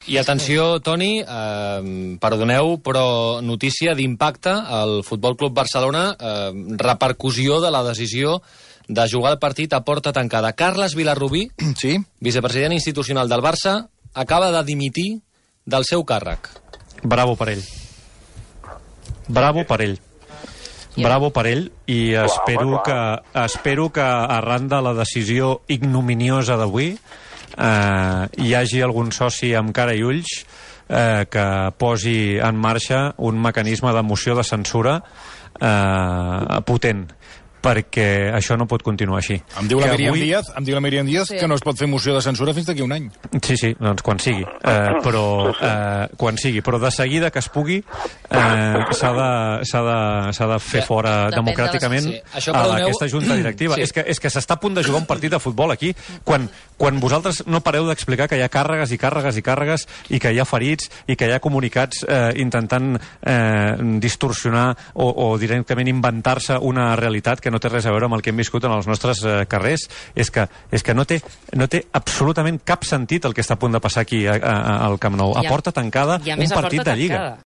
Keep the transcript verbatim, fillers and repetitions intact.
I atenció, Toni, eh, perdoneu, però notícia d'impacte al Futbol Club Barcelona, eh, repercussió de la decisió de jugar el partit a porta tancada. Carles Vilarrubí, sí? vicepresident institucional del Barça, acaba de dimitir del seu càrrec. Bravo per ell. Bravo per ell. Bravo per ell, i espero que, espero que arran de la decisió ignominiosa d'avui eh, hi hagi algun soci amb cara i ulls eh, que posi en marxa un mecanisme de moció de censura eh, potent, perquè això no pot continuar així. Em diu la Que Míriam avui... Díaz, em diu la Míriam Díaz Sí. que no es pot fer moció de censura fins d'aquí un any. Sí, sí, doncs quan sigui. Eh, però eh, quan sigui. Però de seguida que es pugui eh, s'ha de, s'ha de, s'ha de fer fora Depèn de la- democràticament Sí, això, a perdoneu- aquesta junta directiva. Sí. És que, és que s'està a punt de jugar un partit de futbol aquí quan, quan vosaltres no pareu d'explicar que hi ha càrregues i càrregues i càrregues i que hi ha ferits i que hi ha comunicats eh, intentant eh, distorsionar o, o directament inventar-se una realitat que no té res a veure amb el que hem viscut en els nostres eh, carrers. És que, és que no, té, no té absolutament cap sentit el que està a punt de passar aquí a, a, al Camp Nou. A I a- porta tancada, i a un més a partit porta de Lliga. tancada.